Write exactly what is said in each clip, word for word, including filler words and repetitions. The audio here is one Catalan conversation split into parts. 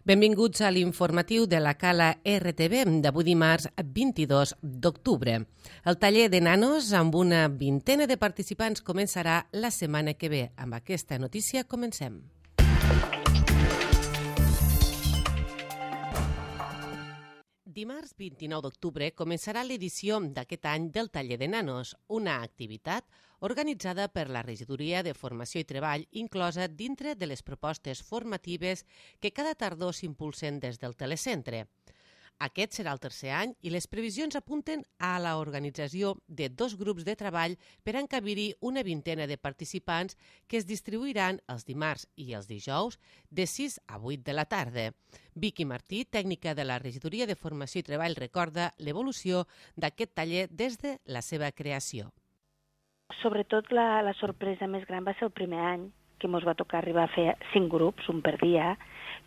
Benvinguts a l'informatiu de la Cala R T V d'avui dimarts vint-i-dos d'octubre. El taller de nanos amb una vintena de participants començarà la setmana que ve. Amb aquesta notícia comencem. Dimarts vint-i-nou d'octubre començarà l'edició d'aquest any del Taller de Nanos, una activitat organitzada per la Regidoria de Formació i Treball, inclosa dintre de les propostes formatives que cada tardor s'impulsen des del telecentre. Aquest serà el tercer any i les previsions apunten a l'organització de dos grups de treball per encabir-hi una vintena de participants que es distribuiran els dimarts i els dijous de sis a vuit de la tarda. Vicky Martí, tècnica de la Regidoria de Formació i Treball, recorda l'evolució d'aquest taller des de la seva creació. Sobretot la, la sorpresa més gran va ser el primer any, que ens va tocar arribar a fer cinc grups, un per dia,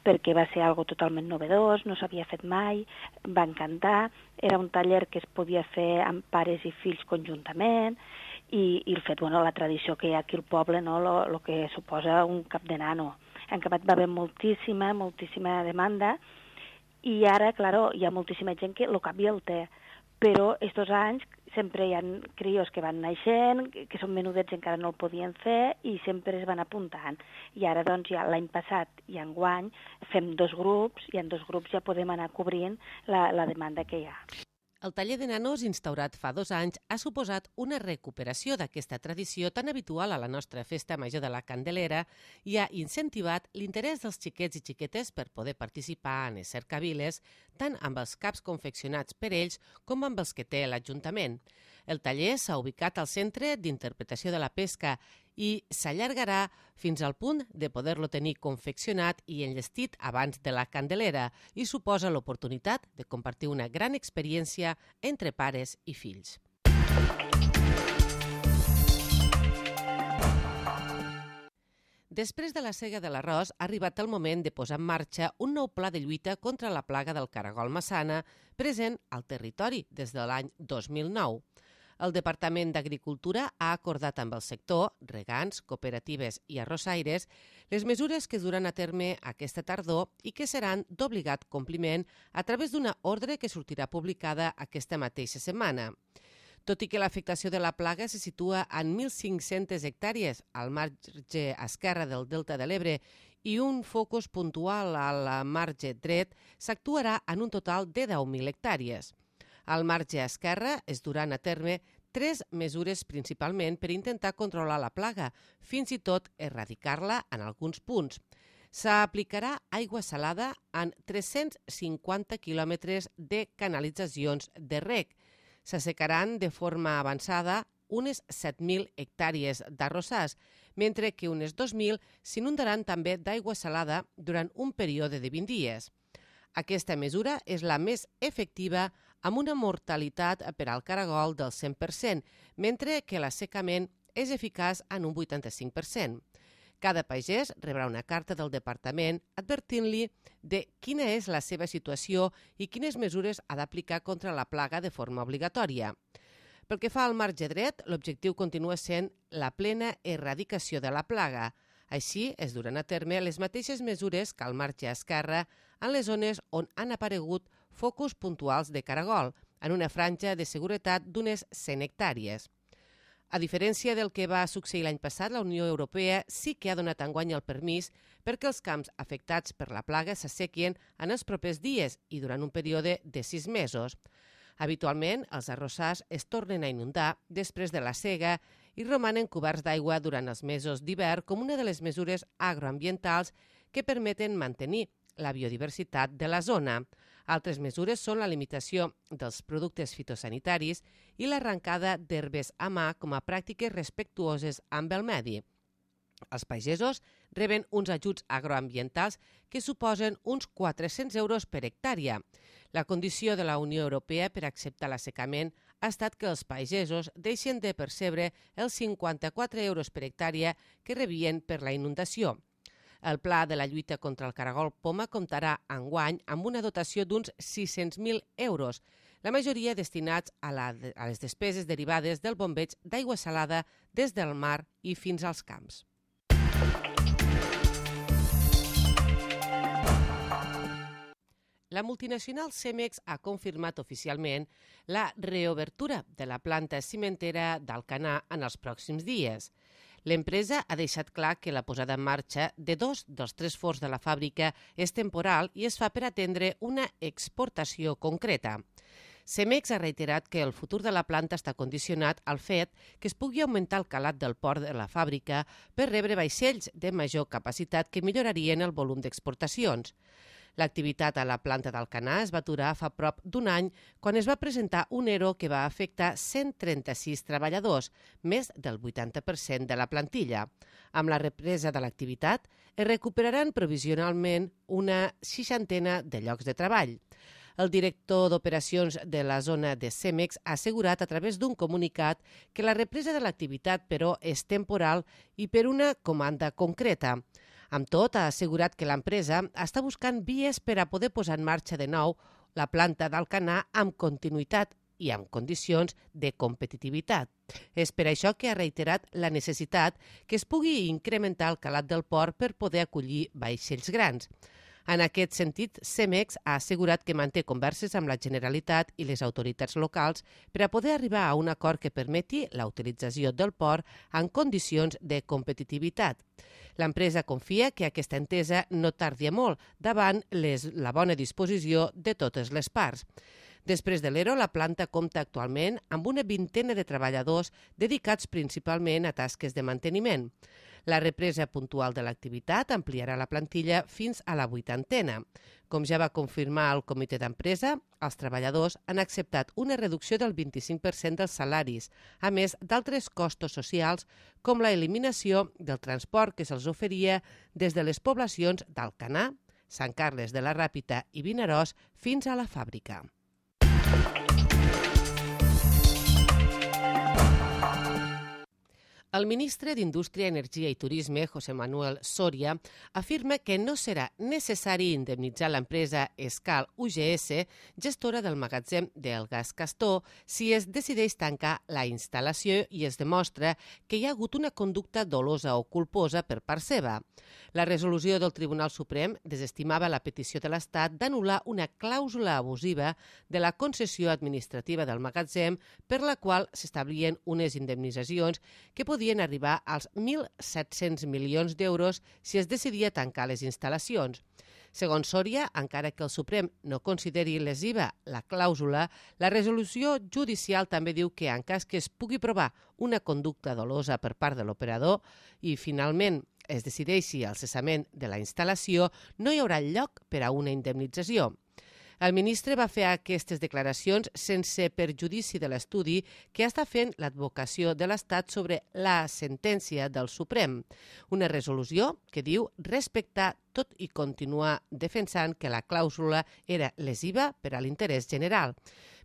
perquè va ser algo totalment novedós, no s'havia fet mai, va encantar, era un taller que es podia fer amb pares i fills conjuntament, i, i el fet, bueno, la tradició que hi ha aquí al poble, no, lo, lo que suposa un cap de nano. En acabat va haver moltíssima, moltíssima demanda, i ara, claro, hi ha moltíssima gent que el cap i el té, però estos anys sempre hi ha crios que van naixent, que són menudets i encara no el podien fer, i sempre es van apuntant. I ara, doncs, ja l'any passat i enguany fem dos grups, i en dos grups ja podem anar cobrint la, la demanda que hi ha. El taller de nanos, instaurat fa dos anys, ha suposat una recuperació d'aquesta tradició tan habitual a la nostra festa major de la Candelera i ha incentivat l'interès dels xiquets i xiquetes per poder participar en les cercaviles, tant amb els caps confeccionats per ells com amb els que té l'Ajuntament. El taller s'ha ubicat al Centre d'Interpretació de la Pesca i s'allargarà fins al punt de poder-lo tenir confeccionat i enllestit abans de la Candelera i suposa l'oportunitat de compartir una gran experiència entre pares i fills. Després de la sega de l'arròs, ha arribat el moment de posar en marxa un nou pla de lluita contra la plaga del caragol massana present al territori des de l'any dos mil nou. El Departament d'Agricultura ha acordat amb el sector, regants, cooperatives i arrossaires, les mesures que es duran a terme aquesta tardor i que seran d'obligat compliment a través d'una ordre que sortirà publicada aquesta mateixa setmana. Tot i que l'afectació de la plaga se situa en mil cinc-centes hectàrees al marge esquerre del Delta de l'Ebre i un focus puntual al marge dret, s'actuarà en un total de deu mil hectàrees. Al marge esquerre es duran a terme tres mesures principalment per intentar controlar la plaga, fins i tot erradicar-la en alguns punts. S'aplicarà aigua salada en tres-cents cinquanta quilòmetres de canalitzacions de reg. S'assecaran de forma avançada unes set mil hectàrees d'arrossars, mentre que unes dos mil s'inundaran també d'aigua salada durant un període de vint dies. Aquesta mesura és la més efectiva amb una mortalitat per al caragol del cent per cent, mentre que l'assecament és eficaç en un vuitanta-cinc per cent. Cada pagès rebrà una carta del departament advertint-li de quina és la seva situació i quines mesures ha d'aplicar contra la plaga de forma obligatòria. Pel que fa al marge dret, l'objectiu continua sent la plena erradicació de la plaga. Així, es duran a terme les mateixes mesures que al marge esquerre en les zones on han aparegut focus puntuals de caragol, en una franja de seguretat d'unes cent hectàrees. A diferència del que va succeir l'any passat, la Unió Europea sí que ha donat enguany el permís perquè els camps afectats per la plaga s'assequin en els propers dies i durant un període de sis mesos. Habitualment, els arrossars es tornen a inundar després de la sega i romanen coberts d'aigua durant els mesos d'hivern com una de les mesures agroambientals que permeten mantenir la biodiversitat de la zona. Altres mesures són la limitació dels productes fitosanitaris i l'arrencada d'herbes a mà com a pràctiques respectuoses amb el medi. Els pagesos reben uns ajuts agroambientals que suposen uns quatre-cents euros per hectàrea. La condició de la Unió Europea per acceptar l'assecament ha estat que els pagesos deixen de percebre els cinquanta-quatre euros per hectàrea que rebien per la inundació. El pla de la lluita contra el caragol poma comptarà enguany amb una dotació d'uns sis-cents mil euros, la majoria destinats a, la, a les despeses derivades del bombeig d'aigua salada des del mar i fins als camps. la multinacional Cemex ha confirmat oficialment la reobertura de la planta cimentera d'Alcanar en els pròxims dies. L'empresa ha deixat clar que la posada en marxa de dos dels tres forns de la fàbrica és temporal i es fa per atendre una exportació concreta. Cemex ha reiterat que el futur de la planta està condicionat al fet que es pugui augmentar el calat del port de la fàbrica per rebre vaixells de major capacitat que millorarien el volum d'exportacions. L'activitat a la planta d'Alcanar es va aturar fa prop d'un any quan es va presentar un ERO que va afectar cent trenta-sis treballadors, més del vuitanta per cent de la plantilla. Amb la represa de l'activitat, es recuperaran provisionalment una seixantena de llocs de treball. El director d'operacions de la zona de Cemex ha assegurat a través d'un comunicat que la represa de l'activitat, però, és temporal i per una comanda concreta. Amb tot, ha assegurat que l'empresa està buscant vies per a poder posar en marxa de nou la planta d'Alcanar amb continuïtat i amb condicions de competitivitat. És per això que ha reiterat la necessitat que es pugui incrementar el calat del port per poder acollir vaixells grans. En aquest sentit, Cemex ha assegurat que manté converses amb la Generalitat i les autoritats locals per a poder arribar a un acord que permeti la utilització del port en condicions de competitivitat. L'empresa confia que aquesta entesa no tardi molt davant les, la bona disposició de totes les parts. Després de l'ERO, la planta compta actualment amb una vintena de treballadors dedicats principalment a tasques de manteniment. La represa puntual de l'activitat ampliarà la plantilla fins a la vuitantena. Com ja va confirmar el comitè d'empresa, els treballadors han acceptat una reducció del vint-i-cinc per cent dels salaris, a més d'altres costos socials com la eliminació del transport que se'ls oferia des de les poblacions d'Alcanar, Sant Carles de la Ràpita i Vinaròs fins a la fàbrica. El ministre d'Indústria, Energia i Turisme, José Manuel Soria, afirma que no serà necessari indemnitzar l'empresa Escal U G S, gestora del magatzem del gas Castor, si es decideix tancar la instal·lació i es demostra que hi ha hagut una conducta dolosa o culposa per part seva. La resolució del Tribunal Suprem desestimava la petició de l'Estat d'anul·lar una clàusula abusiva de la concessió administrativa del magatzem per la qual s'establien unes indemnitzacions que podien arribar als mil set-cents milions d'euros si es decidia tancar les instal·lacions. Segons Soria, encara que el Suprem no consideri lesiva la clàusula, la resolució judicial també diu que en cas que es pugui provar una conducta dolosa per part de l'operador i finalment es decideixi el cessament de la instal·lació, no hi haurà lloc per a una indemnització. El ministre va fer aquestes declaracions sense perjudici de l'estudi que està fent l'advocació de l'Estat sobre la sentència del Suprem, una resolució que diu respectar tot i continuar defensant que la clàusula era lesiva per a l'interès general.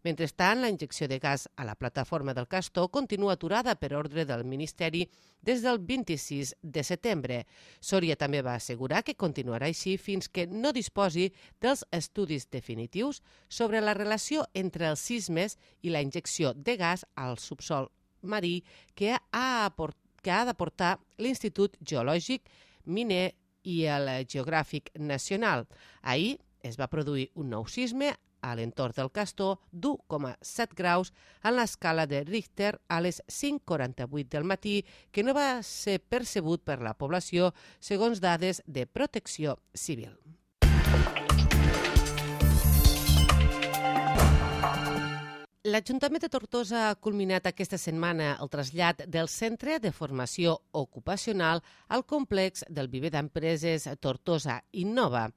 Mentrestant, la injecció de gas a la plataforma del Castor continua aturada per ordre del Ministeri des del vint-i-sis de setembre. Soria també va assegurar que continuarà així fins que no disposi dels estudis definitius sobre la relació entre els sismes i la injecció de gas al subsol marí que ha, que ha d'aportar l'Institut Geològic, Miner i el Geogràfic Nacional. Ahir es va produir un nou sisme a l'entorn del Castor d'u coma set graus en l'escala de Richter a les cinc quaranta-vuit del matí, que no va ser percebut per la població, segons dades de Protecció Civil. L'Ajuntament de Tortosa ha culminat aquesta setmana el trasllat del Centre de Formació Ocupacional al complex del Viver d'Empreses Tortosa Innova.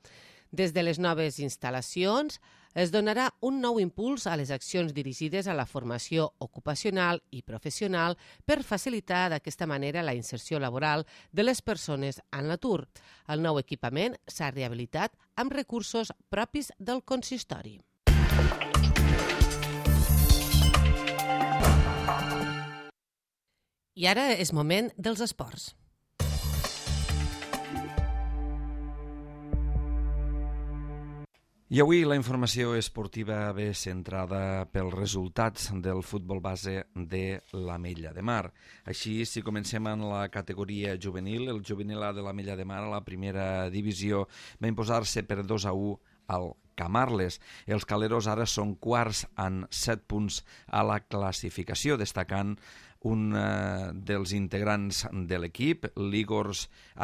Des de les noves instal·lacions es donarà un nou impuls a les accions dirigides a la formació ocupacional i professional per facilitar d'aquesta manera la inserció laboral de les persones en l'atur. El nou equipament s'ha rehabilitat amb recursos propis del consistori. I ara és moment dels esports. I avui la informació esportiva ve centrada pels resultats del futbol base de l'Ametlla de Mar. Així, si comencem en la categoria juvenil, el juvenil A de l'Ametlla de Mar a la primera divisió va imposar-se per dos a u al Camarles. Els caleros ara són quarts amb set punts a la classificació, destacant un uh, dels integrants de l'equip, l'Igor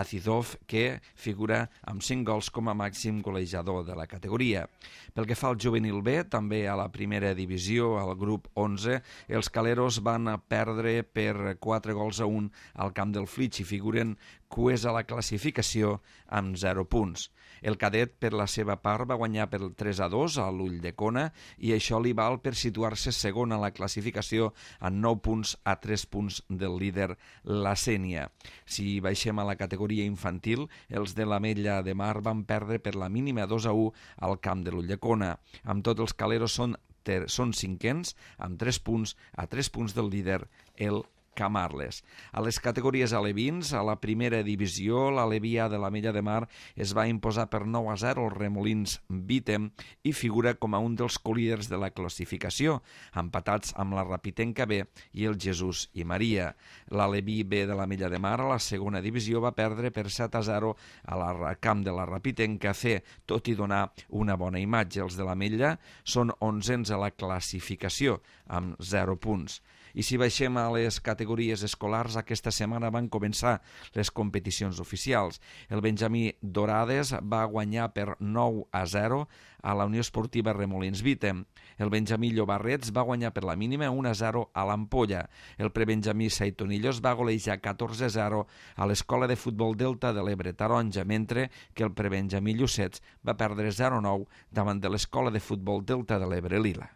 Azizov, que figura amb cinc gols com a màxim golejador de la categoria. Pel que fa al juvenil B, també a la primera divisió, al grup onze, els caleros van perdre per quatre gols a un al camp del Flix i figuren cues a la classificació amb zero punts. El cadet, per la seva part, va guanyar per tres a dos a l'Ulldecona i això li val per situar-se segon a la classificació amb nou punts a tres punts del líder, la Sénia. Si baixem a la categoria infantil, els de l'Ametlla de Mar van perdre per la mínima dos a u al camp de l'Ulldecona. Amb tot, els caleros són, ter, són cinquens amb tres punts a tres punts del líder, el Camarles. A les categories alevins, a la primera divisió, l'Alevia de l'Ametlla de Mar es va imposar per nou a zero als Remolins Vítem i figura com a un dels colíders de la classificació, empatats amb la Rapitenca B i el Jesús i Maria. L'Aleví B de l'Ametlla de Mar, a la segona divisió, va perdre per set a zero a la camp de la Rapitenca C, tot i donar una bona imatge. Els de l'Ametlla són onzens a la classificació, amb zero punts. I si baixem a les categories escolars, aquesta setmana van començar les competicions oficials. El Benjamí Dorades va guanyar per nou a zero a la Unió Esportiva Remolins Vítem. El Benjamí Llobarrets va guanyar per la mínima un a zero a l'Ampolla. El prebenjamí Saitonillos va golejar catorze a zero a l'Escola de Futbol Delta de l'Ebre Taronja, mentre que el prebenjamí Llucets va perdre zero a nou davant de l'Escola de Futbol Delta de l'Ebre Lila.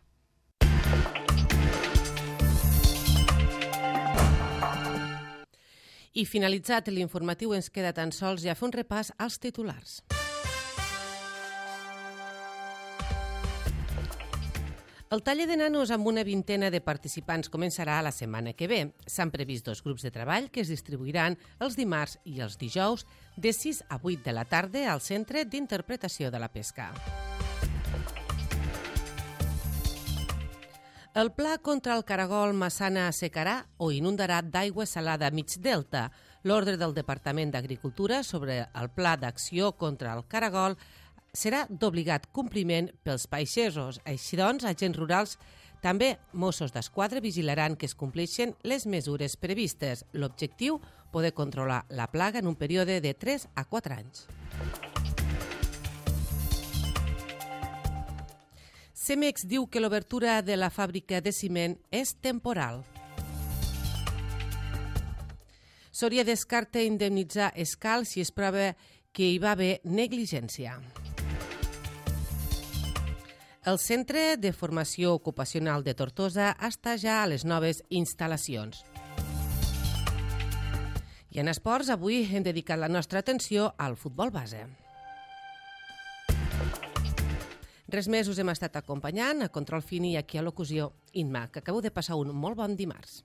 I finalitzat l'informatiu, ens queda tan sols ja fer un repàs als titulars. El taller de nanos amb una vintena de participants començarà la setmana que ve. S'han previst dos grups de treball que es distribuiran els dimarts i els dijous de sis a vuit de la tarda al Centre d'Interpretació de la Pesca. El pla contra el caragol Massana assecarà o inundarà d'aigua salada mig delta. L'ordre del Departament d'Agricultura sobre el pla d'acció contra el caragol serà d'obligat compliment pels pagesos. Així doncs, agents rurals, també Mossos d'Esquadra, vigilaran que es compleixen les mesures previstes. L'objectiu, poder controlar la plaga en un període de tres a quatre anys. Cemex diu que l'obertura de la fàbrica de ciment és temporal. Soria descarta indemnitzar Escal si es prova que hi va haver negligència. El Centre de Formació Ocupacional de Tortosa està ja a les noves instal·lacions. I en esports, avui hem dedicat la nostra atenció al futbol base. Res més, us hem estat acompanyant a Control Fini i aquí a locució Inma, que acabo de passar un molt bon dimarts.